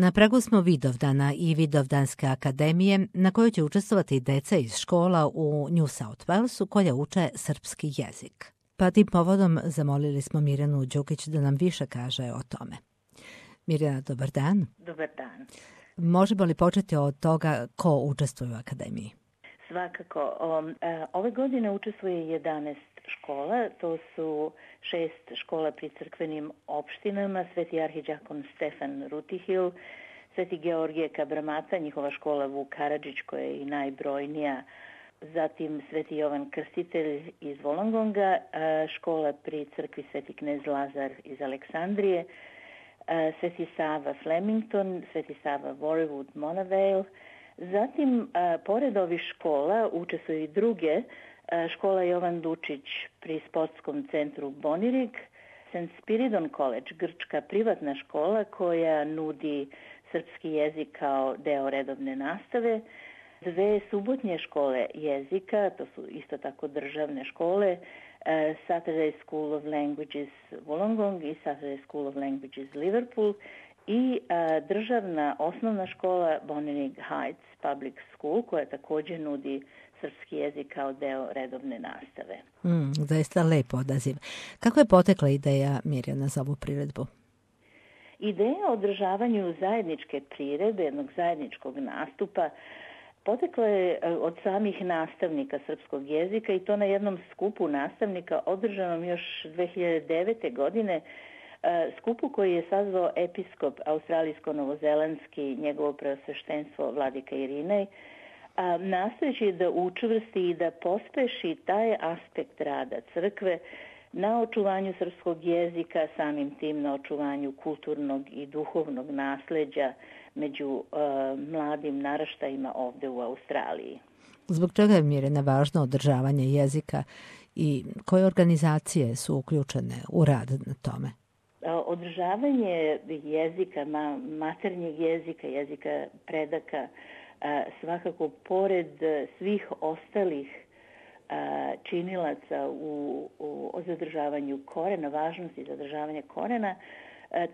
Na pragu smo Vidovdana i Vidovdanske akademije na kojoj će učestvovati i deca iz škola u New South Walesu koja uče srpski jezik. Pa tim povodom zamolili smo Mirjanu Đukić da nam više kaže o tome. Mirjana, dobar dan. Dobar dan. Možemo li početi od toga ko učestvuje u akademiji? Svakako. Ove godine učestvuje 11 škola. To su 6 škola pri crkvenim opštinama, Sveti arhiđakon Stefan Rutihil, Sveti Georgije Kabramata, njihova škola Vuk Karadžić koja je i najbrojnija, zatim Sveti Jovan Krstitelj iz Wollongonga, škola pri crkvi Sveti knez Lazar iz Aleksandrije, Sveti Sava Flemington, Sveti Sava Warwood Monavale. Zatim, pored ovih škola, učestvuju i druge, škola Jovan Dučić pri sportskom centru Bonirig, St. Spiridon College, grčka privatna škola koja nudi srpski jezik kao deo redovne nastave, 2 subotnje škole jezika, to su isto tako državne škole, Saturday School of Languages Wollongong i Saturday School of Languages Liverpool i državna osnovna škola Bonirig Heights Public School koja također nudi srpski jezik kao deo redovne nastave. Zaista lepo odaziv. Kako je potekla ideja, Mirjana, za ovu priredbu? Ideja o održavanju zajedničke priredbe, jednog zajedničkog nastupa, potekla je od samih nastavnika srpskog jezika i to na jednom skupu nastavnika održanom još 2009. godine, skupu koji je sazvao episkop australijsko-novozelandski, njegovo preosveštenstvo Vladika Irinej, nastojeći da učvrsti i da pospeši taj aspekt rada crkve na očuvanju srpskog jezika, samim tim na očuvanju kulturnog i duhovnog nasleđa među mladim naraštajima ovde u Australiji. Zbog čega je, Mirjana, važno održavanje jezika i koje organizacije su uključene u rad na tome? Održavanje jezika, maternjeg jezika, jezika predaka, svakako pored svih ostalih činilaca o zadržavanju korena, važnosti zadržavanja korena,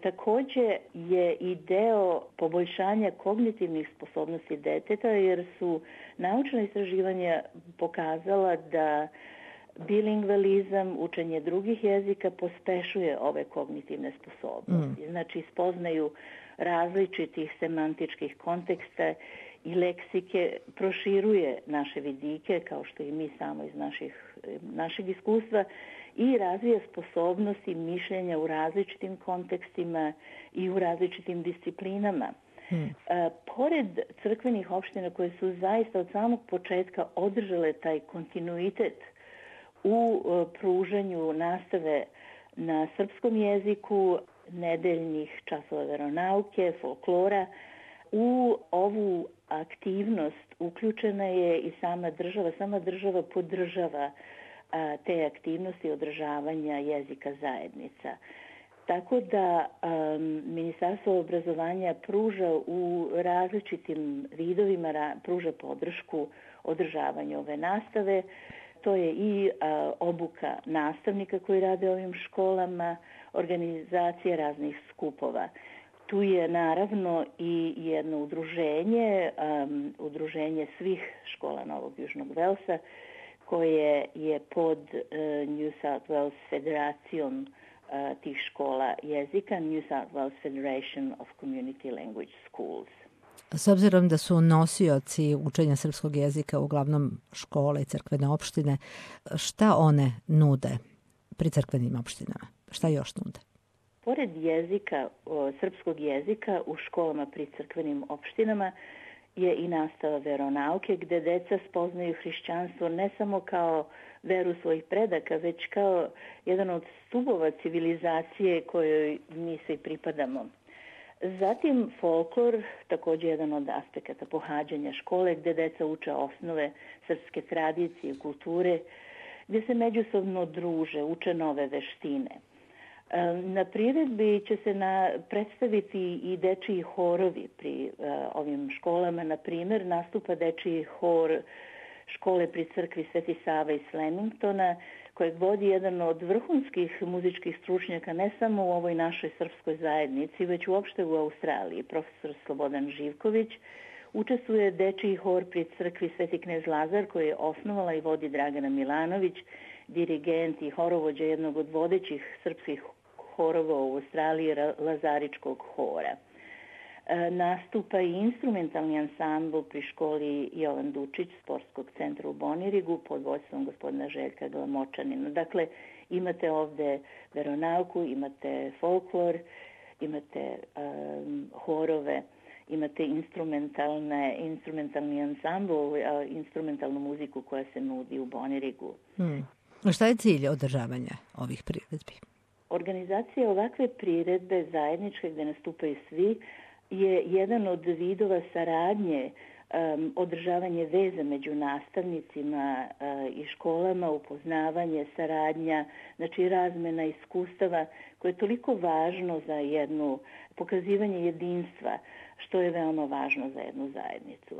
također je i deo poboljšanja kognitivnih sposobnosti deteta, jer su naučna istraživanja pokazala da bilingvalizam, učenje drugih jezika pospešuje ove kognitivne sposobnosti. Znači, spoznaju različitih semantičkih konteksta i leksike, proširuje naše vidike, kao što i mi samo iz našeg iskustva, i razvija sposobnosti mišljenja u različitim kontekstima i u različitim disciplinama. Pored crkvenih opština koje su zaista od samog početka održale taj kontinuitet u pružanju nastave na srpskom jeziku, nedeljnih časova veronauke, folklora, u ovu aktivnost uključena je i sama država. Sama država podržava te aktivnosti održavanja jezika zajednica. Tako da Ministarstvo obrazovanja pruža u različitim vidovima, pruža podršku održavanju ove nastave. To je i obuka nastavnika koji rade ovim školama, organizacija raznih skupova. Tu je naravno i jedno udruženje svih škola Novog Južnog Velsa, koje je pod New South Wales Federacijom tih škola jezika, New South Wales Federation of Community Language Schools. S obzirom da su nosioci učenja srpskog jezika uglavnom škole i crkvene opštine, šta one nude pri crkvenim opštinama? Šta još nude? Pored jezika, srpskog jezika u školama pri crkvenim opštinama je i nastava veronauke gde deca spoznaju hrišćanstvo ne samo kao veru svojih predaka, već kao jedan od stubova civilizacije kojoj mi svi pripadamo. Zatim folklor, također jedan od aspekata pohađanja škole gde deca uče osnove srpske tradicije i kulture, gdje se međusobno druže, uče nove veštine. Na priredbi će se predstaviti i dečiji horovi pri ovim školama. Na primjer, nastupa dečiji hor škole pri crkvi Sveti Sava iz Flemingtona kojeg vodi jedan od vrhunskih muzičkih stručnjaka ne samo u ovoj našoj srpskoj zajednici, već uopšte u Australiji, profesor Slobodan Živković. Učestvuje dečiji hor pri crkvi Sveti knez Lazar koji je osnovala i vodi Dragana Milanović, dirigent i horovođa jednog od vodećih srpskih horova u Australiji, Lazaričkog hora. Nastupa i instrumentalni ansambl pri školi Jovan Dučić Sportskog centra u Bonirigu pod vodstvom gospodina Željka Glamočanina. Dakle, imate ovde veronauku, imate folklor, imate horove, imate instrumentalni ansambl, instrumentalnu muziku koja se nudi u Bonirigu. Šta je cilj održavanja ovih priredbi? Organizacija ovakve priredbe zajedničke gde nastupaju svi je jedan od vidova saradnje, održavanje veza među nastavnicima i školama, upoznavanje, saradnja, znači razmena iskustava koje je toliko važno za jednu pokazivanje jedinstva, što je veoma važno za jednu zajednicu.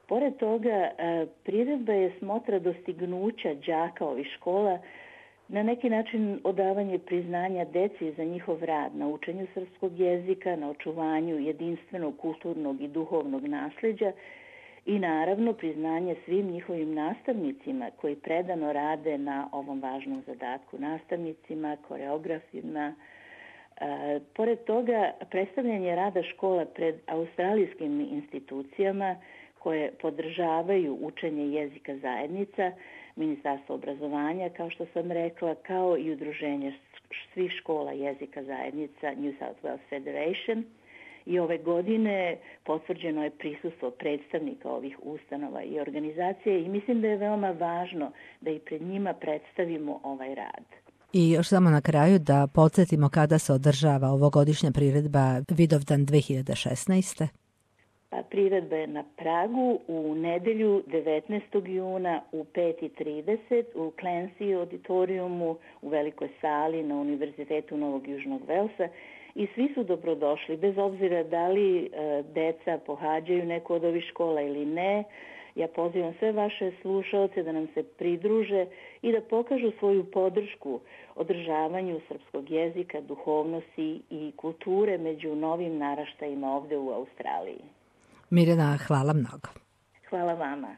Pored toga, priredba je smotra dostignuća đaka ovih škola, na neki način odavanje priznanja deci za njihov rad na učenju srpskog jezika, na očuvanju jedinstvenog kulturnog i duhovnog nasleđa i naravno priznanje svim njihovim nastavnicima koji predano rade na ovom važnom zadatku, nastavnicima, koreografima. Pored toga, predstavljanje rada škola pred australijskim institucijama koje podržavaju učenje jezika zajednica, Ministarstvo obrazovanja, kao što sam rekla, kao i udruženje svih škola jezika zajednica New South Wales Federation. I ove godine potvrđeno je prisustvo predstavnika ovih ustanova i organizacije i mislim da je veoma važno da i pred njima predstavimo ovaj rad. I još samo na kraju da podsjetimo kada se održava ovogodišnja priredba Vidovdan 2016. Priredba je na Pragu u nedelju 19. juna u 5:30 u Clancy auditoriumu u velikoj sali na Univerzitetu Novog Južnog Velsa i svi su dobrodošli, bez obzira da li deca pohađaju neku od ovih škola ili ne. Ja pozivam sve vaše slušaoce da nam se pridruže i da pokažu svoju podršku održavanju srpskog jezika, duhovnosti i kulture među novim naraštajima ovde u Australiji. Mirjana, hvala mnogo. Hvala vama.